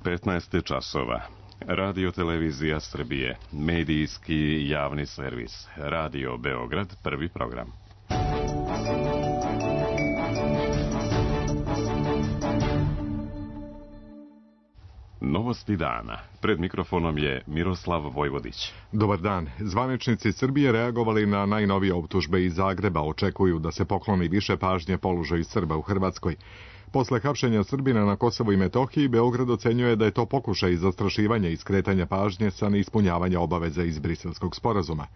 15 časova. Radio Televizija Srbije, medijski javni servis, Radio Beograd, prvi program. Novosti dana. Pred mikrofonom je Miroslav Vojvodić. Dobar dan. Zvaničnici Srbije reagovali na najnovije optužbe iz Zagreba. Očekuju da se pokloni više pažnje položaju Srba u Hrvatskoj. Posle hapšenja Srbina na Kosovu i Metohiji, Beograd ocenjuje da je to pokušaj zastrašivanja i skretanja pažnje sa neispunjavanja obaveza iz Briselskog sporazuma.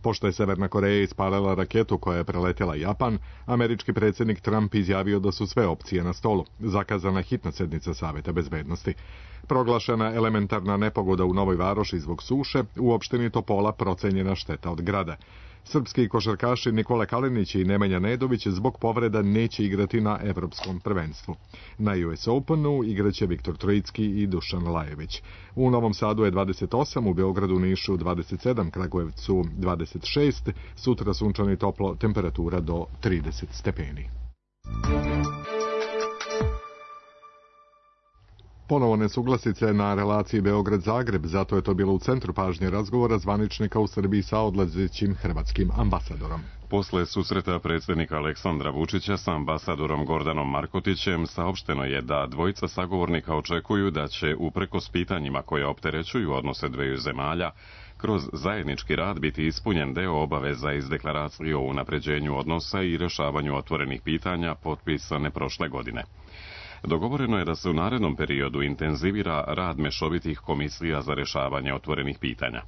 Pošto je Severna Koreja ispalila raketu koja je preletela Japan, američki predsjednik Trump izjavio da su sve opcije na stolu. Zakazana hitna sednica Saveta bezbednosti. Proglašena elementarna nepogoda u Novoj Varoši zbog suše, u opštini Topola procenjena šteta od grada. Srpski košarkaši Nikola Kalinić i Nemanja Nedović zbog povreda neće igrati na evropskom prvenstvu. Na US Openu igraće Viktor Trojicki i Dušan Lajević. U Novom Sadu je 28, u Beogradu, Nišu 27, Kragujevcu 26, sutra sunčano i toplo, temperatura do 30 stepeni. Ponovo nesuglasice na relaciji Beograd-Zagreb, zato je to bilo u centru pažnje razgovora zvaničnika u Srbiji sa odlazećim hrvatskim ambasadorom. Posle susreta predsjednika Aleksandra Vučića sa ambasadorom Gordanom Markotićem saopšteno je da dvojica sagovornika očekuju da će uprkos pitanjima koje opterećuju odnose dveju zemalja, kroz zajednički rad biti ispunjen deo obaveza iz deklaracije o unapređenju odnosa i rješavanju otvorenih pitanja potpisane prošle godine. Dogovoreno je da se u narednom periodu intenzivira rad mešovitih komisija za rješavanje otvorenih pitanja.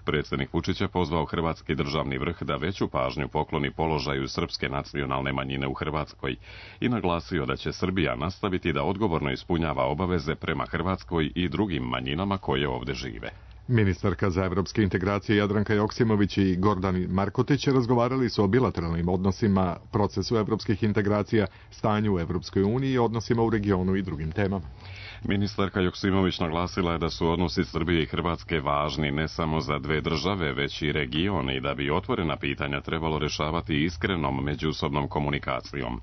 Predsjednik Vučić je pozvao hrvatski državni vrh da veću pažnju pokloni položaju srpske nacionalne manjine u Hrvatskoj i naglasio da će Srbija nastaviti da odgovorno ispunjava obaveze prema Hrvatskoj i drugim manjinama koje ovdje žive. Ministarka za evropske integracije Jadranka Joksimović i Gordan Markotić razgovarali su o bilateralnim odnosima, procesu evropskih integracija, stanju u Evropskoj uniji i odnosima u regionu i drugim temama. Ministarka Joksimović naglasila je da su odnosi Srbije i Hrvatske važni ne samo za dve države, već i region i da bi otvorena pitanja trebalo rješavati iskrenom međusobnom komunikacijom.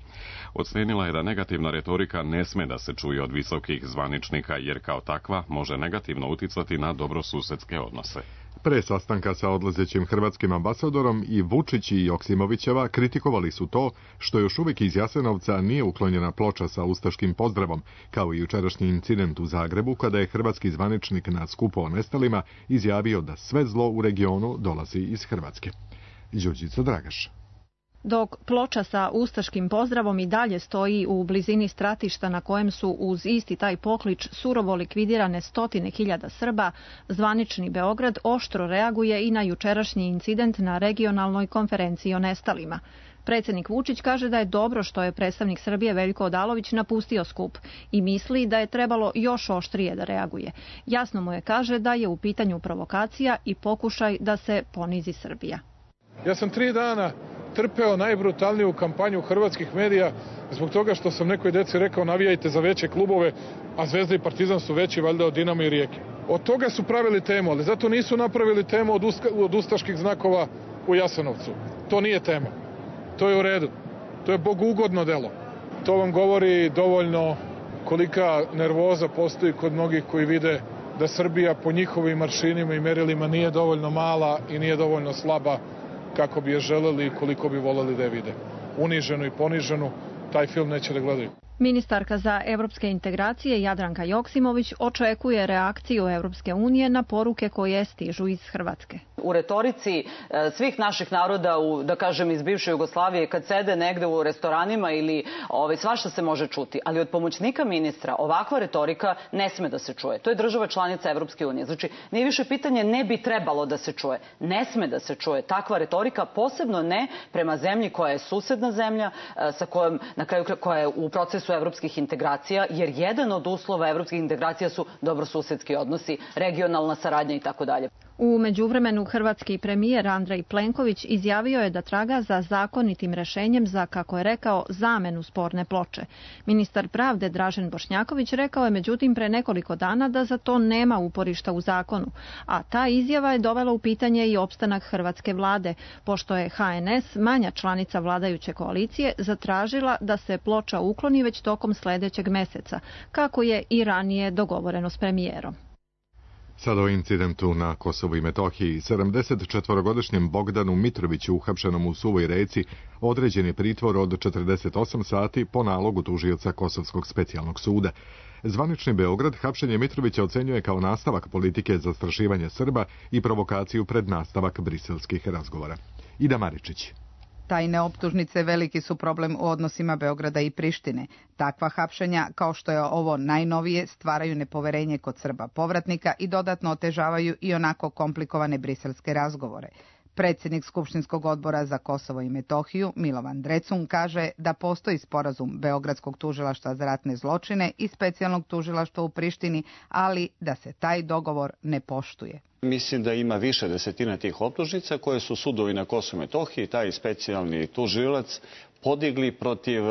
Ocenila je da negativna retorika ne sme da se čuje od visokih zvaničnika jer kao takva može negativno uticati na dobrosusedske odnose. Pre sastanka sa odlazećim hrvatskim ambasadorom i Vučić i Joksimovićeva kritikovali su to što još uvijek iz Jasenovca nije uklonjena ploča sa ustaškim pozdravom, kao i jučerašnji incident u Zagrebu kada je hrvatski zvaničnik na skupu o nestalima izjavio da sve zlo u regionu dolazi iz Hrvatske. Đurđica Dragaš. Dok ploča sa ustaškim pozdravom i dalje stoji u blizini stratišta na kojem su uz isti taj poklič surovo likvidirane stotine hiljada Srba, zvanični Beograd oštro reaguje i na jučerašnji incident na regionalnoj konferenciji o nestalima. Predsjednik Vučić kaže da je dobro što je predstavnik Srbije Veljko Odalović napustio skup i misli da je trebalo još oštrije da reaguje. Jasno mu je, kaže, da je u pitanju provokacija i pokušaj da se ponizi Srbija. Ja sam 3 dana trpeo najbrutalniju kampanju hrvatskih medija zbog toga što sam nekoj deci rekao navijajte za veće klubove, a Zvezda i Partizan su veći valjda od Dinama i Rijeke. Od toga su pravili temu, ali zato nisu napravili temu od ustaških znakova u Jasenovcu. To nije tema. To je u redu. To je bogugodno delo. To vam govori dovoljno kolika nervoza postoji kod mnogih koji vide da Srbija po njihovim maršinima i merilima nije dovoljno mala i nije dovoljno slaba kako bi je želeli i koliko bi voleli da je vide. Uniženu i poniženu, taj film neće da gledaju. Ministarka za evropske integracije Jadranka Joksimović očekuje reakciju Evropske unije na poruke koje stižu iz Hrvatske. U retorici svih naših naroda, da kažem iz bivše Jugoslavije, kad sede negde u restoranima ili svašta se može čuti, ali od pomoćnika ministra ovakva retorika ne sme da se čuje. To je država članica Evropske unije. Znači, nije više pitanje ne bi trebalo da se čuje. Ne sme da se čuje takva retorika, posebno ne prema zemlji koja je susedna zemlja, sa kojom, na kraju koja je u procesu evropskih integracija, jer jedan od uslova evropskih integracija su dobrosusedski odnosi, regionalna saradnja i tako dalje. U međuvremenu hrvatski premijer Andrej Plenković izjavio je da traga za zakonitim rešenjem za, kako je rekao, zamenu sporne ploče. Ministar pravde Dražen Bošnjaković rekao je međutim pre nekoliko dana da za to nema uporišta u zakonu, a ta izjava je dovela u pitanje i opstanak hrvatske vlade, pošto je HNS, manja članica vladajuće koalicije, zatražila da se ploča ukloni već tokom sledećeg meseca, kako je i ranije dogovoreno s premijerom. Sada o incidentu na Kosovu i Metohiji. 74-godišnjem Bogdanu Mitroviću, uhapšenom u Suvoj Reci, određen je pritvor od 48 sati po nalogu tužioca Kosovskog specijalnog suda. Zvanični Beograd hapšenje Mitrovića ocenjuje kao nastavak politike zastrašivanja Srba i provokaciju pred nastavak briselskih razgovora. Ida Maričić. Tajne optužnice veliki su problem u odnosima Beograda i Prištine. Takva hapšenja, kao što je ovo najnovije, stvaraju nepoverenje kod Srba povratnika i dodatno otežavaju i onako komplikovane briselske razgovore. Predsjednik Skupštinskog odbora za Kosovo i Metohiju, Milovan Drecun, kaže da postoji sporazum Beogradskog tužilaštva za ratne zločine i specijalnog tužilaštva u Prištini, ali da se taj dogovor ne poštuje. Mislim da ima više desetina tih optužnica koje su sudovi na Kosovu i Metohiji, taj specijalni tužilac, podigli protiv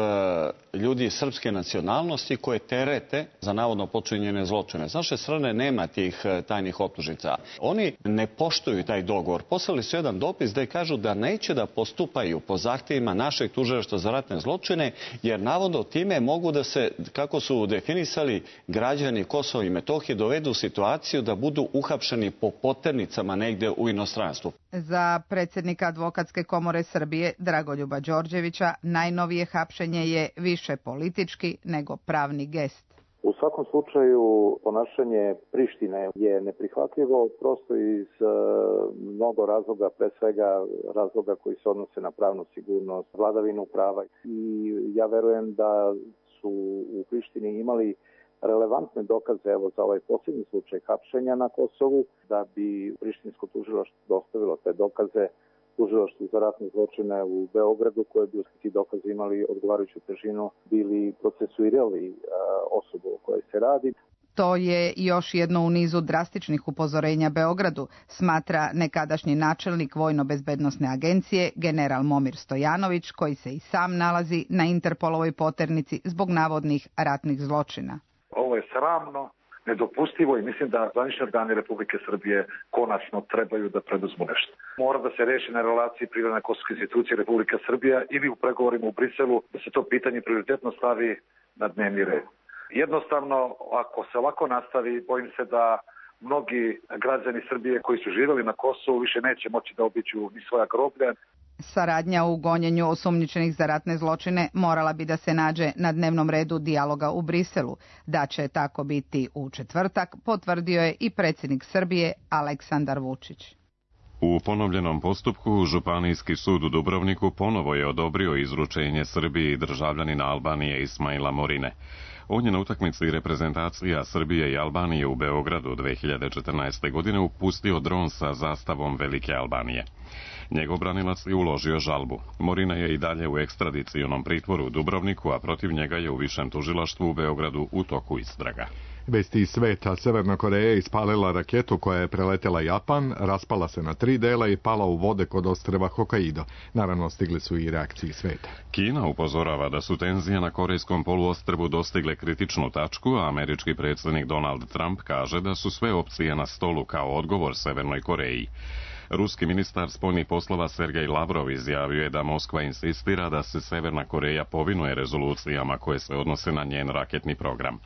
ljudi srpske nacionalnosti koje terete za navodno počinjene zločine. S naše strane nema tih tajnih optužnica. Oni ne poštuju taj dogovor. Poslali su jedan dopis gde kažu da neće da postupaju po zahtjevima našeg tužilaštva za ratne zločine, jer navodno time mogu da se, kako su definisali, građani Kosova i Metohije dovedu u situaciju da budu uhapšeni po poternicama negde u inostranstvu. Za predsjednika Advokatske komore Srbije Dragoljuba Đorđevića najnovije hapšenje je više politički nego pravni gest. U svakom slučaju ponašanje Prištine je neprihvatljivo prosto iz mnogo razloga, pre svega razloga koji se odnose na pravnu sigurnost, vladavinu prava, i ja verujem da su u Prištini imali relevantne dokaze, evo za ovaj posljednji slučaj hapšenja na Kosovu, da bi prištinsko tužilaštvo dostavilo te dokaze tužilaštvu za ratne zločine u Beogradu, koje bi ti dokazi imali odgovarajuću težinu, bili procesuirali osobu o kojoj se radi. To je još jedno u nizu drastičnih upozorenja Beogradu, smatra nekadašnji načelnik Vojno-bezbednosne agencije general Momir Stojanović, koji se i sam nalazi na Interpolovoj poternici zbog navodnih ratnih zločina. Ovo je sramno, nedopustivo i mislim da zvanični organi Republike Srbije konačno trebaju da preduzmu nešto. Mora da se reši na relaciji privredne kosovske institucije Republika Srbija ili u pregovorima u Briselu, da se to pitanje prioritetno stavi na dnevni red. Jednostavno, ako se ovako nastavi, bojim se da mnogi građani Srbije koji su živjeli na Kosovu više neće moći da obiđu ni svoja groblja. Saradnja u gonjenju osumnjičenih za ratne zločine morala bi da se nađe na dnevnom redu dijaloga u Briselu. Da će tako biti u četvrtak, potvrdio je i predsjednik Srbije Aleksandar Vučić. U ponovljenom postupku Županijski sud u Dubrovniku ponovo je odobrio izručenje Srbiji državljanina Albanije Ismaila Morine. On je na utakmici reprezentacija Srbije i Albanije u Beogradu 2014. godine upustio dron sa zastavom Velike Albanije. Njegov branilac je uložio žalbu. Morina je i dalje u ekstradicionom pritvoru u Dubrovniku, a protiv njega je u višem tužilaštvu u Beogradu u toku istraga. Vesti iz sveta. Severna Koreja ispalila raketu koja je preletela Japan, raspala se na 3 dela i pala u vode kod ostrva Hokkaido. Naravno, stigli su i reakcije sveta. Kina upozorava da su tenzije na korejskom poluostrvu dostigle kritičnu tačku, a američki predsjednik Donald Trump kaže da su sve opcije na stolu kao odgovor Severnoj Koreji. Ruski ministar spoljnih poslova Sergej Lavrov izjavio je da Moskva insistira da se Severna Koreja povinuje rezolucijama koje se odnose na njen raketni program.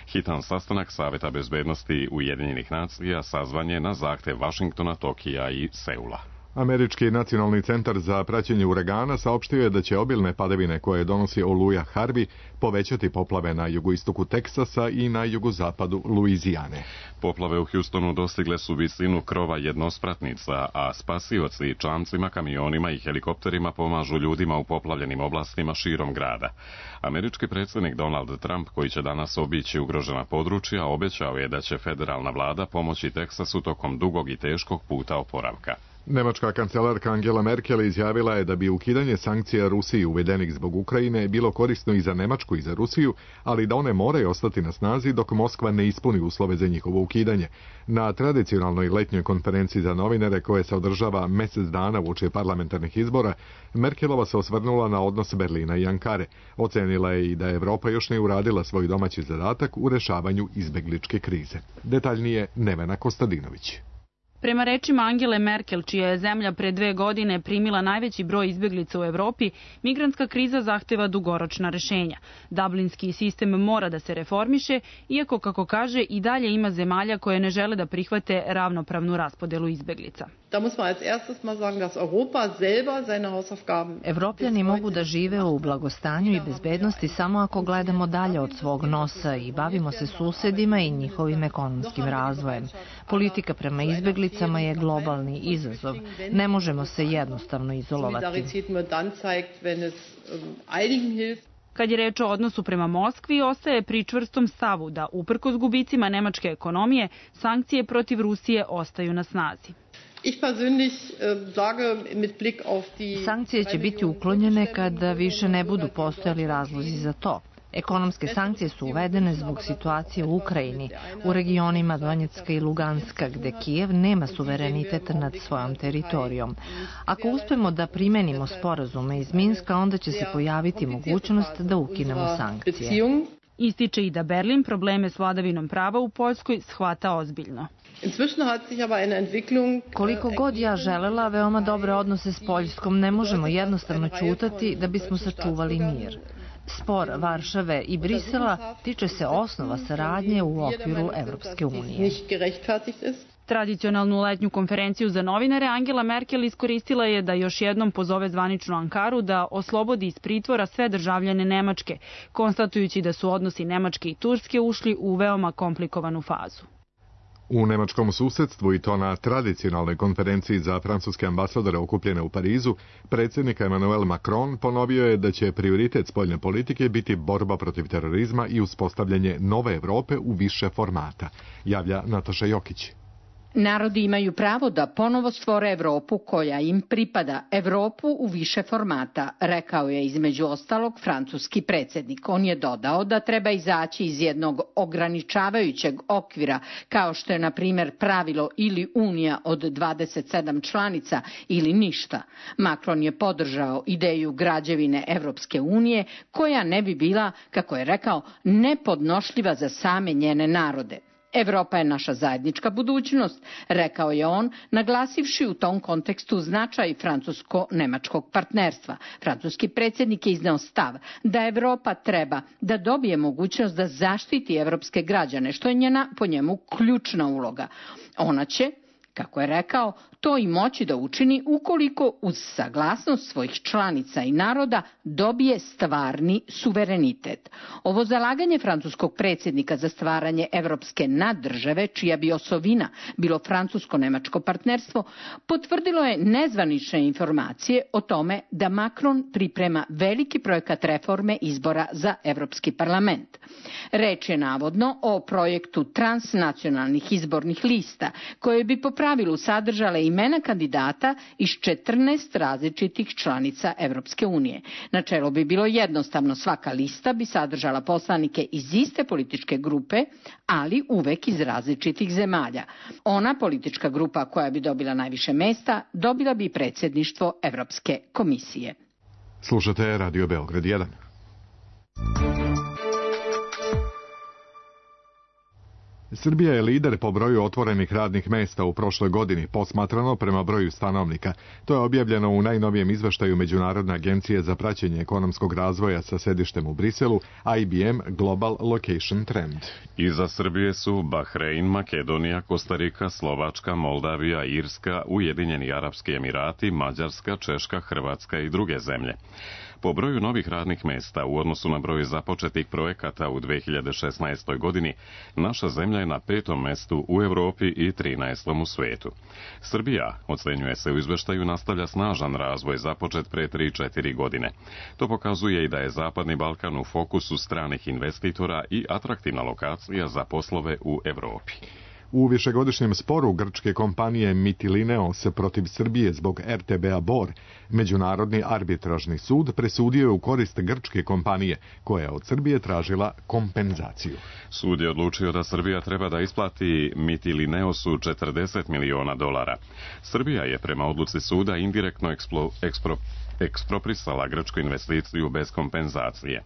Hitan sastanak Saveta bezbednosti Ujedinjenih nacija sazvan je na zahtev Vašingtona, Tokija i Seula. Američki nacionalni centar za praćenje uragana saopštio je da će obilne padavine koje donosi oluja Harvey povećati poplave na jugoistoku Teksasa i na jugozapadu Luizijane. Poplave u Houstonu dostigle su visinu krova jednospratnica, a spasioci čamcima, kamionima i helikopterima pomažu ljudima u poplavljenim oblastima širom grada. Američki predsjednik Donald Trump, koji će danas obići ugrožena područja, obećao je da će federalna vlada pomoći Teksasu tokom dugog i teškog puta oporavka. Nemačka kancelarka Angela Merkel izjavila je da bi ukidanje sankcija Rusiji uvedenih zbog Ukrajine bilo korisno i za Nemačku i za Rusiju, ali da one moraju ostati na snazi dok Moskva ne ispuni uslove za njihovo ukidanje. Na tradicionalnoj letnjoj konferenciji za novinare koje se održava mjesec dana uoči parlamentarnih izbora, Merkelova se osvrnula na odnos Berlina i Ankare. Ocenila je i da Evropa još nije uradila svoj domaći zadatak u rešavanju izbegličke krize. Detaljnije Nevena Kostadinović. Prema rečima Angele Merkel, čija je zemlja pre 2 godine primila najveći broj izbeglica u Evropi, migrantska kriza zahteva dugoročna rešenja. Dublinski sistem mora da se reformiše, iako, kako kaže, i dalje ima zemalja koje ne žele da prihvate ravnopravnu raspodelu izbeglica. Evropljani mogu da žive u blagostanju i bezbednosti samo ako gledamo dalje od svog nosa i bavimo se susedima i njihovim ekonomskim razvojem. Politika prema izbeglicama je globalni izazov. Ne možemo se jednostavno izolovati. Kad je reč o odnosu prema Moskvi, ostaje pri čvrstom stavu da, uprkos gubicima nemačke ekonomije, sankcije protiv Rusije ostaju na snazi. Sankcije će biti uklonjene kada više ne budu postojali razlozi za to. Ekonomske sankcije su uvedene zbog situacije u Ukrajini, u regionima Donjecka i Luganska, gde Kijev nema suverenitet nad svojom teritorijom. Ako uspemo da primenimo sporazume iz Minska, onda će se pojaviti mogućnost da ukinemo sankcije. Ističe i da Berlin probleme s vladavinom prava u Poljskoj shvata ozbiljno. Koliko god ja želela veoma dobre odnose s Poljskom, ne možemo jednostavno ćutati da bismo sačuvali mir. Spor Varšave i Brisela tiče se osnova saradnje u okviru Evropske unije. Tradicionalnu letnju konferenciju za novinare Angela Merkel iskoristila je da još jednom pozove zvaničnu Ankaru da oslobodi iz pritvora sve državljane Nemačke, konstatujući da su odnosi Nemačke i Turske ušli u veoma komplikovanu fazu. U nemačkom susedstvu, i to na tradicionalnoj konferenciji za francuske ambasadore okupljene u Parizu, predsjednik Emmanuel Macron ponovio je da će prioritet spoljne politike biti borba protiv terorizma i uspostavljanje nove Evrope u više formata, javlja Nataša Jokić. Narodi imaju pravo da ponovo stvore Evropu koja im pripada, Evropu u više formata, rekao je između ostalog francuski predsjednik. On je dodao da treba izaći iz jednog ograničavajućeg okvira, kao što je na primjer pravilo ili unija od 27 članica ili ništa. Macron je podržao ideju građevine Evropske unije koja ne bi bila, kako je rekao, nepodnošljiva za same njene narode. Evropa je naša zajednička budućnost, rekao je on, naglasivši u tom kontekstu značaj francusko-nemačkog partnerstva. Francuski predsjednik je izneo stav da Evropa treba da dobije mogućnost da zaštiti evropske građane, što je njena, po njemu, ključna uloga. Ona će, kako je rekao, to i moći da učini ukoliko uz saglasnost svojih članica i naroda dobije stvarni suverenitet. Ovo zalaganje francuskog predsjednika za stvaranje evropske naddržave, čija bi osovina bilo francusko-nemačko partnerstvo, potvrdilo je nezvanične informacije o tome da Macron priprema veliki projekat reforme izbora za Evropski parlament. Reč je navodno o projektu transnacionalnih izbornih lista, koje bi po pravilu sadržale imena kandidata iz 14 različitih članica Evropske unije. Načelo bi bilo jednostavno, svaka lista bi sadržala poslanike iz iste političke grupe, ali uvek iz različitih zemalja. Ona politička grupa koja bi dobila najviše mesta dobila bi predsjedništvo Evropske komisije. Slušate Radio Beograd 1. Srbija je lider po broju otvorenih radnih mesta u prošloj godini, posmatrano prema broju stanovnika. To je objavljeno u najnovijem izveštaju Međunarodne agencije za praćenje ekonomskog razvoja sa sedištem u Briselu, IBM Global Location Trend. Iza Srbije su Bahrein, Makedonija, Kostarika, Slovačka, Moldavija, Irska, Ujedinjeni Arapski Emirati, Mađarska, Češka, Hrvatska i druge zemlje. Po broju novih radnih mesta u odnosu na broj započetih projekata u 2016. godini, naša zemlja je na 5. mestu u Evropi i 13. u svetu. Srbija, ocenjuje se u izveštaju, nastavlja snažan razvoj započet pre 3-4 godine. To pokazuje i da je Zapadni Balkan u fokusu stranih investitora i atraktivna lokacija za poslove u Evropi. U višegodišnjem sporu grčke kompanije Mytilineos protiv Srbije zbog RTB-a Bor, Međunarodni arbitražni sud presudio je u korist grčke kompanije, koja je od Srbije tražila kompenzaciju. Sud je odlučio da Srbija treba da isplati Mytilineosu $40 miliona. Srbija je prema odluci suda indirektno eksproprisala grčku investiciju bez kompenzacije.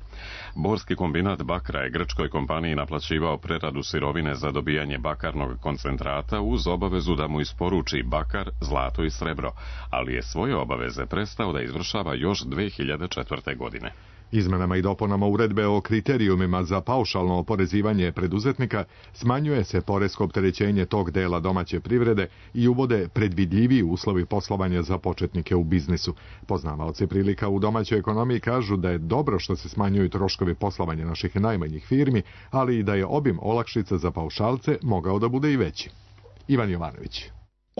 Borski kombinat bakra je grčkoj kompaniji naplaćivao preradu sirovine za dobijanje bakarnog koncentrata uz obavezu da mu isporuči bakar, zlato i srebro, ali je svoje obaveze prestao da izvršava još 2004. godine. Izmenama i dopunama uredbe o kriterijumima za paušalno oporezivanje preduzetnika smanjuje se poresko opterećenje tog dela domaće privrede i uvode predvidljiviji uslovi poslovanja za početnike u biznisu. Poznavaoci prilika u domaćoj ekonomiji kažu da je dobro što se smanjuju troškovi poslovanja naših najmanjih firmi, ali i da je obim olakšica za paušalce mogao da bude i veći. Ivan Jovanović.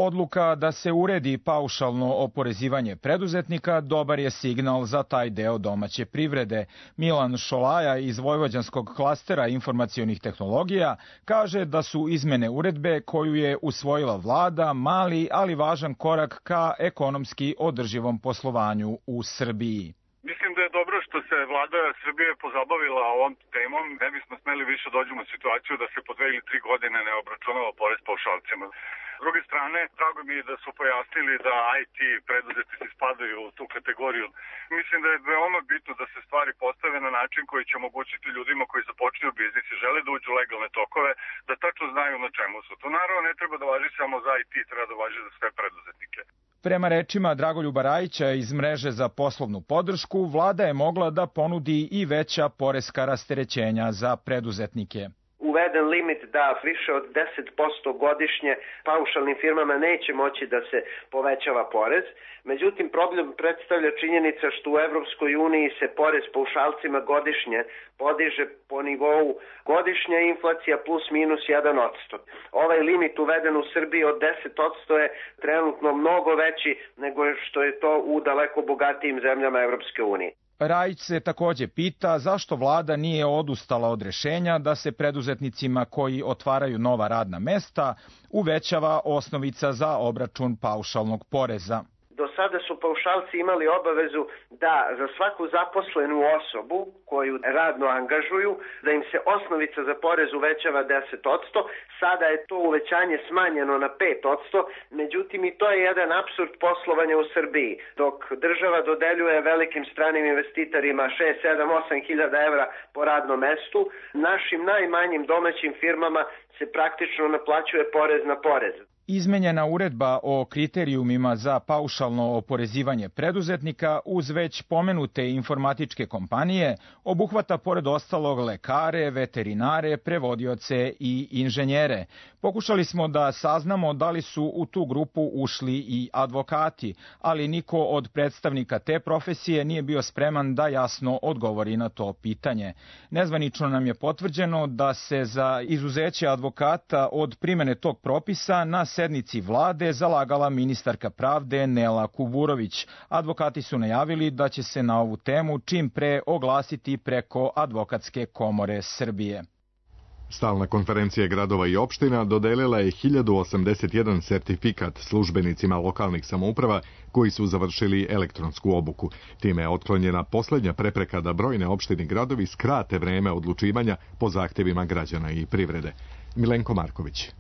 Odluka da se uredi paušalno oporezivanje preduzetnika dobar je signal za taj deo domaće privrede. Milan Šolaja iz Vojvođanskog klastera informacionih tehnologija kaže da su izmene uredbe koju je usvojila vlada mali, ali važan korak ka ekonomski održivom poslovanju u Srbiji. Mislim da je dobro što se vlada Srbije pozabavila ovom temom. Ne bismo smeli više dođemo u situaciju da se po 2 ili 3 godine ne obračunava porez paušalcima. S druge strane, drago mi je da su pojasnili da IT preduzetnici spadaju u tu kategoriju. Mislim da je veoma bitno da se stvari postave na način koji će omogućiti ljudima koji započinju biznis i žele da uđu u legalne tokove, da tačno znaju na čemu su. To naravno ne treba da važi samo za IT, treba da važi za sve preduzetnike. Prema rečima Dragoljuba Rajića iz mreže za poslovnu podršku, vlada je mogla da ponudi i veća poreska rasterećenja za preduzetnike. Uveden limit da više od 10% godišnje paušalnim firmama neće moći da se povećava porez. Međutim, problem predstavlja činjenica što u Evropskoj uniji se porez paušalcima godišnje podiže po nivou godišnja inflacija plus minus 1%. Ovaj limit uveden u Srbiji od 10% je trenutno mnogo veći nego što je to u daleko bogatijim zemljama Evropske unije. Rajić se takođe pita zašto vlada nije odustala od rešenja da se preduzetnicima koji otvaraju nova radna mesta uvećava osnovica za obračun paušalnog poreza. Do sada su paušalci imali obavezu da za svaku zaposlenu osobu koju radno angažuju, da im se osnovica za porez uvećava 10%, sada je to uvećanje smanjeno na 5%, međutim i to je jedan apsurd poslovanja u Srbiji. Dok država dodeljuje velikim stranim investitorima 6, 7, 8 hiljada evra po radnom mestu, našim najmanjim domaćim firmama se praktično naplaćuje porez na porez. Izmenjena uredba o kriterijumima za paušalno oporezivanje preduzetnika uz već pomenute informatičke kompanije obuhvata pored ostalog lekare, veterinare, prevodioce i inženjere. Pokušali smo da saznamo da li su u tu grupu ušli i advokati, ali niko od predstavnika te profesije nije bio spreman da jasno odgovori na to pitanje. Nezvanično nam je potvrđeno da se za izuzeće advokata od primene tog propisa na sednici vlade zalagala ministarka pravde Nela Kuburović. Advokati su najavili da će se na ovu temu čim pre oglasiti preko Advokatske komore Srbije. Stalna konferencija gradova i opština dodelila je 1081 sertifikat službenicima lokalnih samouprava koji su završili elektronsku obuku. Time je otklonjena poslednja prepreka da brojne opštine i gradovi skrate vreme odlučivanja po zahtevima građana i privrede. Milenko Marković.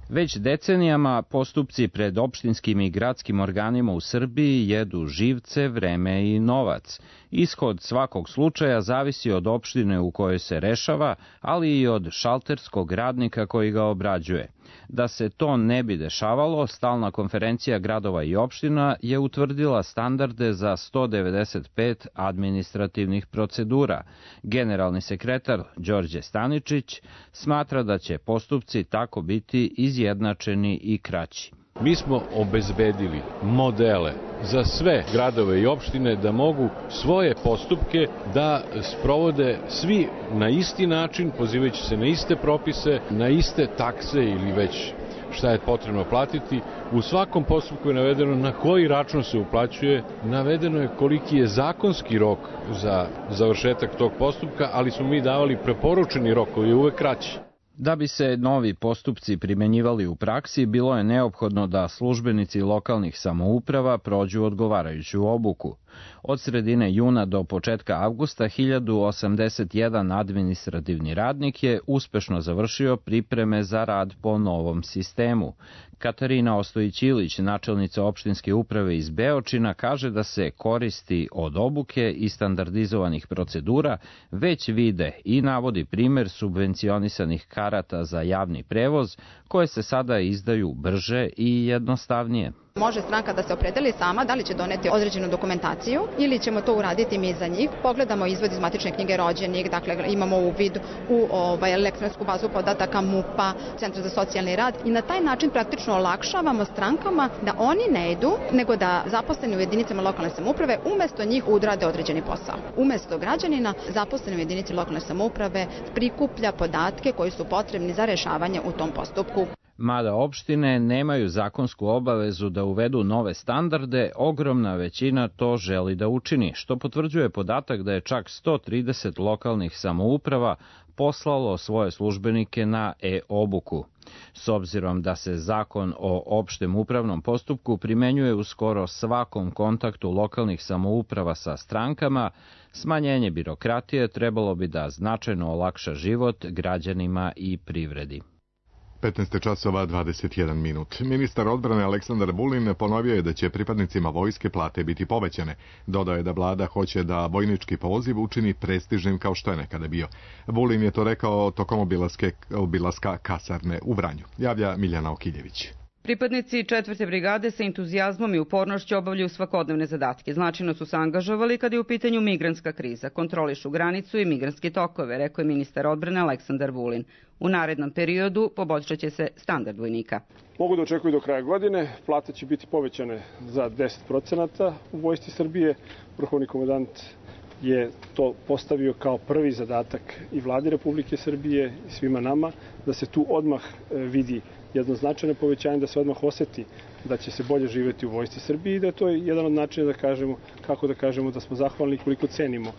Već decenijama postupci pred opštinskim i gradskim organima u Srbiji jedu živce, vreme i novac. Ishod svakog slučaja zavisi od opštine u kojoj se rešava, ali i od šalterskog radnika koji ga obrađuje. Da se to ne bi dešavalo, Stalna konferencija gradova i opština je utvrdila standarde za 195 administrativnih procedura. Generalni sekretar Đorđe Staničić smatra da će postupci tako biti izjednačeni i kraći. Mi smo obezbedili modele za sve gradove i opštine da mogu svoje postupke da sprovode svi na isti način, pozivajući se na iste propise, na iste takse ili već šta je potrebno platiti. U svakom postupku je navedeno na koji račun se uplaćuje, navedeno je koliki je zakonski rok za završetak tog postupka, ali smo mi davali preporučeni rok koji je uvek kraći. Da bi se novi postupci primenjivali u praksi, bilo je neophodno da službenici lokalnih samouprava prođu odgovarajuću obuku. Od sredine juna do početka avgusta 1081 administrativni radnik je uspešno završio pripreme za rad po novom sistemu. Katarina Ostojić-Ilić, načelnica opštinske uprave iz Beočina, kaže da se koristi od obuke i standardizovanih procedura već vide i navodi primer subvencionisanih karata za javni prevoz koje se sada izdaju brže i jednostavnije. Može stranka da se opredeli sama da li će doneti određenu dokumentaciju ili ćemo to uraditi mi za njih. Pogledamo izvod iz matične knjige rođenih, dakle imamo uvid u elektronsku bazu podataka MUP-a, Centra za socijalni rad i na taj način praktično olakšavamo strankama da oni ne idu, nego da zaposleni u jedinicama lokalne samouprave umesto njih odrade određeni posao. Umesto građanina, zaposleni u jedinici lokalne samouprave prikuplja podatke koji su potrebni za rešavanje u tom postupku. Mada opštine nemaju zakonsku obavezu da uvedu nove standarde, ogromna većina to želi da učini, što potvrđuje podatak da je čak 130 lokalnih samouprava poslalo svoje službenike na e-obuku. S obzirom da se zakon o opštem upravnom postupku primenjuje u skoro svakom kontaktu lokalnih samouprava sa strankama, smanjenje birokratije trebalo bi da značajno olakša život građanima i privredi. 15 časova 21 minut. Ministar odbrane Aleksandar Vulin ponovio je da će pripadnicima vojske plate biti povećane. Dodao je da vlada hoće da vojnički poziv učini prestižnim kao što je nekada bio. Vulin je to rekao tokom obilaska kasarne u Vranju. Javlja Miljana Okiljević. Pripadnici 4. brigade sa entuzijazmom i upornošću obavljaju svakodnevne zadatke. Značajno su se angažovali kada je u pitanju migrantska kriza. Kontrolišu granicu i migrantske tokove, rekao je ministar odbrane Aleksandar Vulin. U narednom periodu poboljšat će se standard vojnika. Mogu da očekuju do kraja godine. Plate će biti povećane za 10% u Vojsci Srbije. Vrhovni komandant je to postavio kao prvi zadatak i vladi Republike Srbije i svima nama, da se tu odmah vidi jedno značajno povećanje, da se odmah oseti da će se bolje živjeti u Vojsci Srbije i da to je jedan od načina da kažemo, kako da kažemo da smo zahvalni i koliko cenimo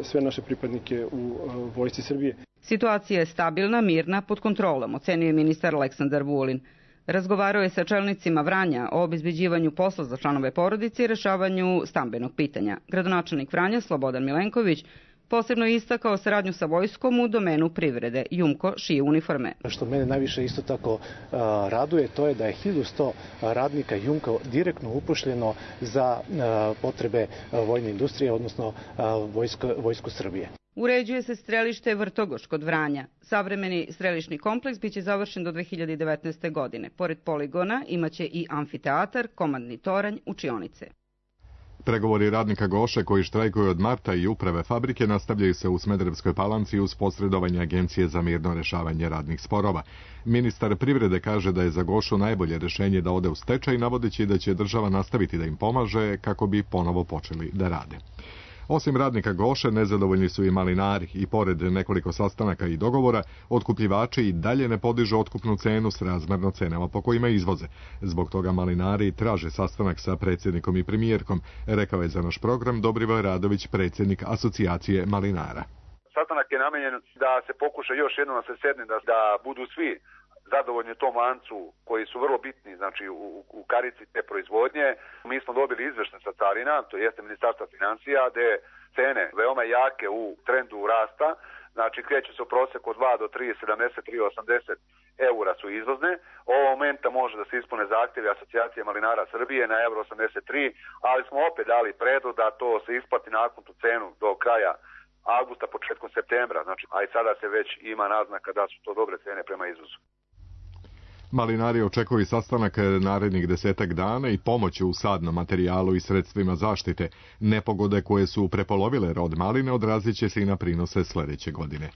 sve naše pripadnike u Vojsci Srbije. Situacija je stabilna, mirna, pod kontrolom, ocenio je ministar Aleksandar Vulin. Razgovarao je sa čelnicima Vranja o obezbeđivanju posla za članove porodice i rešavanju stambenog pitanja. Gradonačelnik Vranja Slobodan Milenković posebno je istakao saradnju sa vojskom u domenu privrede. Jumko šije uniforme. Što mene najviše isto tako raduje, to je da je 1100 radnika Jumko direktno upošljeno za potrebe vojne industrije, odnosno vojsku Srbije. Uređuje se strelište Vrtogoš kod Vranja. Savremeni strelišni kompleks biće završen do 2019. godine. Pored poligona imaće i amfiteatar, komandni toranj, učionice. Pregovori radnika Goše koji štrajkuju od marta i uprave fabrike nastavljaju se u Smederevskoj Palanci uz posredovanje Agencije za mirno rešavanje radnih sporova. Ministar privrede kaže da je za Gošu najbolje rešenje da ode u stečaj, navodeći da će država nastaviti da im pomaže kako bi ponovo počeli da rade. Osim radnika Goše, nezadovoljni su i malinari i pored nekoliko sastanaka i dogovora, otkupljivači i dalje ne podižu otkupnu cenu s razmerno cenama po kojima izvoze. Zbog toga malinari traže sastanak sa predsjednikom i premijerkom, rekao je za naš program Dobrivoje Radović, predsjednik Asocijacije malinara. Sastanak je namenjen da se pokuša još jednom da se sedne, da budu svi zadovoljni u tom lancu koji su vrlo bitni, znači u karici te proizvodnje. Mi smo dobili izveštaj sa carina, to jeste Ministarstva financija, gde cene veoma jake u trendu rasta, znači kreću se u proseku od 2 do 3,70, 3,80 eura su izvozne. Ovog momenta može da se ispune zahtjevi Asocijacije malinara Srbije na euro 83, ali smo opet dali predlog da to se isplati nakon tu cenu do kraja avgusta, početkom septembra, znači, a i sada se već ima naznaka da su to dobre cene prema izvozu. Malinari očekuju sastanak narednih 10 dana i pomoć u sadnom materijalu i sredstvima zaštite. Nepogode koje su prepolovile rod maline odrazit će se i na prinose sljedeće godine.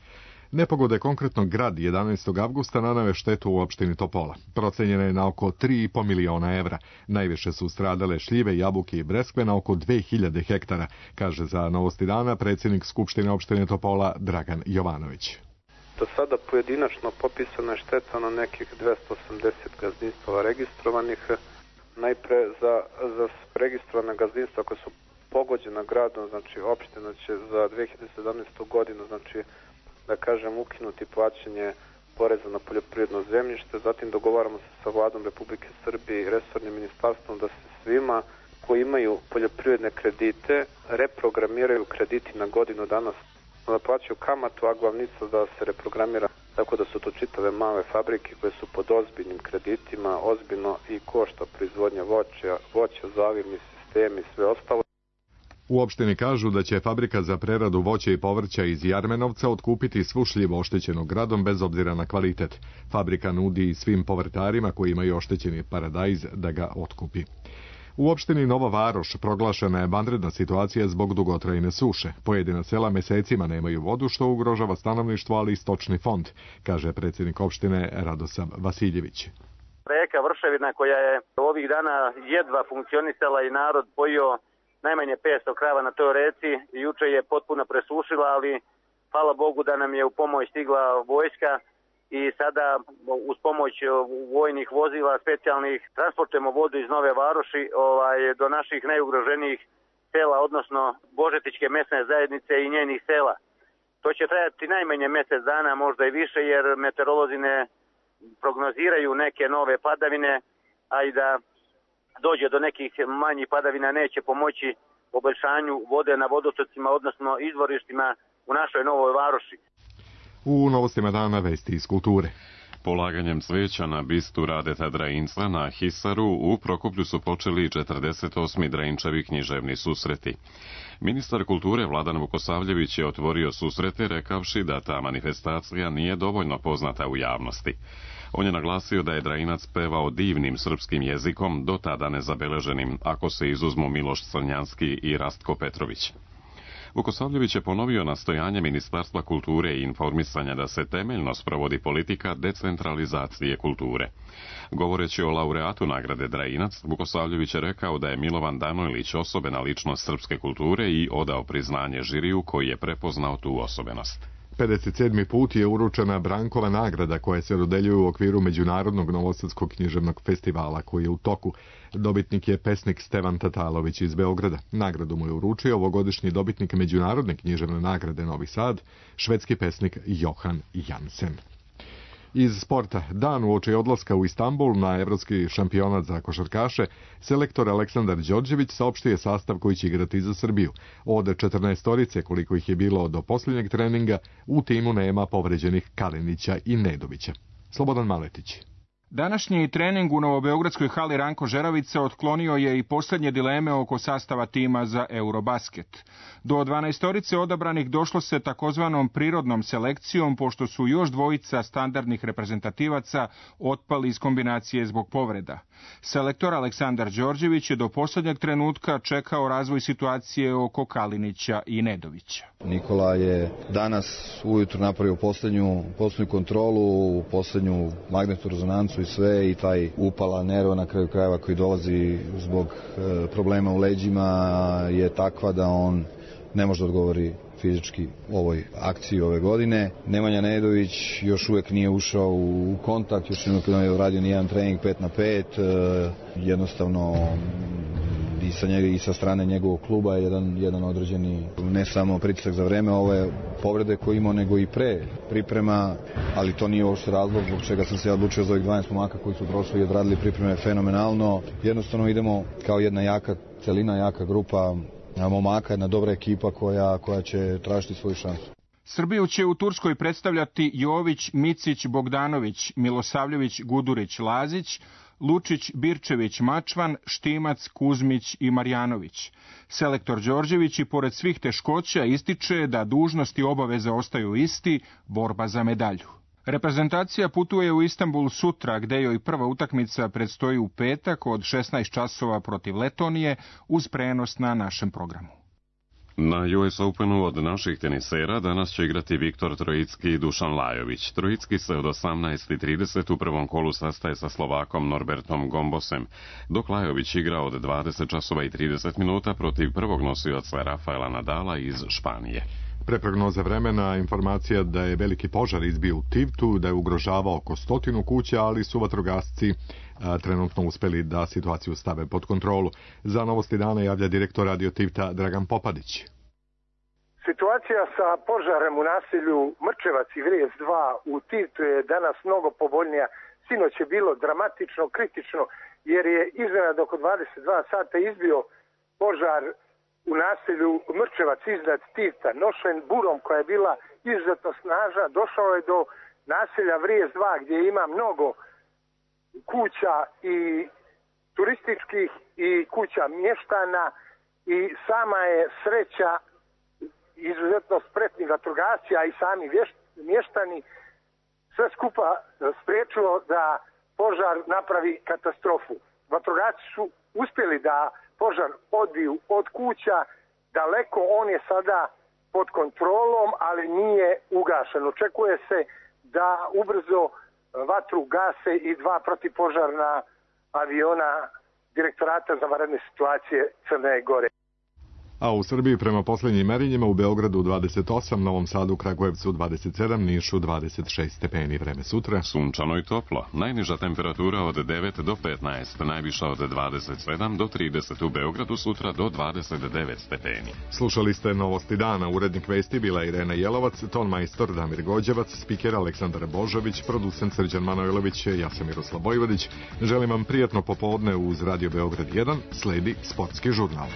Nepogode, konkretno grad 11. avgusta nanove štetu u opštini Topola. Procenjena je na oko 3,5 miliona evra. Najviše su stradale šljive, jabuke i breskve na oko 2000 hektara, kaže za Novosti dana predsjednik Skupštine opštine Topola Dragan Jovanović. Do sada pojedinačno popisana je šteta na nekih 280 gazdinstava registrovanih. Najpre za registrovane gazdinstva koje su pogođena gradom, znači opština će za 2017. godinu, znači da kažem, ukinuti plaćanje poreza na poljoprivredno zemljište. Zatim dogovaramo se sa vladom Republike Srbije i resornim ministarstvom da se svima koji imaju poljoprivredne kredite reprogramiraju krediti na godinu dana, da plaćaju kamatu, a glavnica da se reprogramira, tako da su to čitave male fabrike koje su pod ozbiljnim kreditima, ozbiljno i košta proizvodnja voća, zavirni sistemi i sve ostalo. U opštini kažu da će fabrika za preradu voća i povrća iz Jarmenovca otkupiti svu šljivu oštećenog gradom bez obzira na kvalitet. Fabrika nudi svim povrtarima koji imaju oštećeni paradajz da ga otkupi. U opštini Nova Varoš proglašena je vanredna situacija zbog dugotrajne suše. Pojedina sela mesecima nemaju vodu, što ugrožava stanovništvo, ali i stočni fond, kaže predsjednik opštine Radosav Vasiljević. Reka Vrševina koja je ovih dana jedva funkcionisala i narod pojio najmanje 500 krava na toj reci, juče je potpuno presušila, ali hvala Bogu da nam je u pomoć stigla vojska i sada uz pomoć vojnih vozila specijalnih transportujemo vodu iz Nove Varoši do naših najugroženijih sela, odnosno Božetićke mesne zajednice i njenih sela. To će trajati najmanje mjesec dana, možda i više, jer meteorolozi ne prognoziraju neke nove padavine, a i da dođe do nekih manjih padavina neće pomoći poboljšanju vode na vodotocima, odnosno izvorištima u našoj Novoj Varoši. U novostima dana vesti iz kulture. Polaganjem cveća na bistu Radeta Drajinca na Hisaru u Prokuplju su počeli 48. Drajinčevi književni susreti. Ministar kulture Vladan Vukosavljević je otvorio susrete rekavši da ta manifestacija nije dovoljno poznata u javnosti. On je naglasio da je Drajinac pevao divnim srpskim jezikom, do tada nezabeleženim, ako se izuzmu Miloš Crnjanski i Rastko Petrović. Vukosavljević je ponovio nastojanje Ministarstva kulture i informisanja da se temeljno sprovodi politika decentralizacije kulture. Govoreći o laureatu nagrade Drajinac, Vukosavljević je rekao da je Milovan Danojlić osobena ličnost srpske kulture i odao priznanje žiriju koji je prepoznao tu osobenost. 57. put je uručena Brankova nagrada koja se dodeljuje u okviru Međunarodnog novosadskog književnog festivala koji je u toku. Dobitnik je pesnik Stevan Tatalović iz Beograda. Nagradu mu je uručio ovogodišnji dobitnik Međunarodne književne nagrade Novi Sad, švedski pesnik Johan Jansen. Iz sporta, dan uoči odlaska u Istanbul na evropski šampionat za košarkaše, selektor Aleksandar Đorđević saopštio je sastav koji će igrati za Srbiju. Od 14 koliko ih je bilo do posljednjeg treninga, u timu nema povređenih Kalinića i Nedovića. Slobodan Maletić. Današnji trening u novobeogradskoj hali Ranko Žeravica otklonio je i posljednje dileme oko sastava tima za Eurobasket. Do 12 odabranih došlo se takozvanom prirodnom selekcijom, pošto su još dvojica standardnih reprezentativaca otpali iz kombinacije zbog povreda. Selektor Aleksandar Đorđević je do posljednjeg trenutka čekao razvoj situacije oko Kalinića i Nedovića. Nikola je danas ujutro napravio posljednju kontrolu, posljednju magnetnu rezonancu i sve, i taj upala nerva na kraju krajeva koji dolazi zbog problema u leđima je takva da on ne može da odgovori fizički ovoj akciji ove godine. Nemanja Nedović još uvijek nije ušao u kontakt, još nije uradio nijedan trening 5 na 5, jednostavno i sa strane njegovog kluba je jedan određeni, ne samo pritisak za vreme ove povrede koje imao, nego i pre priprema, ali to nije uopšte razlog zbog čega sam se odlučio za ovih 12 momaka koji su prošli i odradili pripreme fenomenalno. Jednostavno idemo kao jedna jaka celina, jaka grupa momaka, jedna dobra ekipa koja će tražiti svoju šansu. Srbiju će u Turskoj predstavljati Jović, Micić, Bogdanović, Milosavljević, Gudurić, Lazić, Lučić, Birčević, Mačvan, Štimac, Kuzmić i Marjanović. Selektor Đorđević i pored svih teškoća ističe da dužnosti i obaveze ostaju isti, borba za medalju. Reprezentacija putuje u Istanbul sutra, gde joj prva utakmica predstoji u petak od 16 časova protiv Letonije uz prenos na našem programu. Na US Openu od naših tenisera danas će igrati Viktor Trojicki i Dušan Lajović. Trojicki se od 18:30 u prvom kolu sastaje sa Slovakom Norbertom Gombosem, dok Lajović igra od 20:30 protiv prvog nosioca Rafaela Nadala iz Španije. Pre prognoze vremena informacija da je veliki požar izbio u Tivtu, da je ugrožavao oko 100 kuća, ali su vatrogasci trenutno uspeli da situaciju stave pod kontrolu. Za novosti dana javlja direktor Radio Tivta Dragan Popadić. Situacija sa požarem u naselju Mrčevac i Vrijez 2 u Tivtu je danas mnogo povoljnija. Sinoć je bilo dramatično, kritično, jer je iznenada oko 22 sata izbio požar u naselju Mrčevac iznad Tivta. Nošen burom koja je bila izuzetno snažna, došao je do naselja Vrijez 2 gdje ima mnogo kuća i turističkih i kuća mještana i sama je sreća izuzetno spretni vatrogasci, a i sami mještani sve skupa spriječilo da požar napravi katastrofu. Vatrogasci su uspjeli da požar odbiju od kuća daleko, on je sada pod kontrolom, ali nije ugašen. Očekuje se da ubrzo vatru gase i 2 protivpožarna aviona Direktorata za vanredne situacije Crne Gore. A u Srbiji prema posljednjim merenjima u Beogradu 28, Novom Sadu, Kragujevcu 27, Nišu 26 stepeni. Vreme sutra sunčano i toplo. Najniža temperatura od 9 do 15, najviša od 27 do 30 u Beogradu, sutra do 29 stepeni. Slušali ste Novosti dana. Urednik vesti bila Irena Jelovac, ton majstor Damir Gođevac, spiker Aleksandar Božović, producent Srđan Manojlović, ja sam Miroslav Vojvodić. Želim vam prijatno popodne uz Radio Beograd 1, sledi sportski žurnal.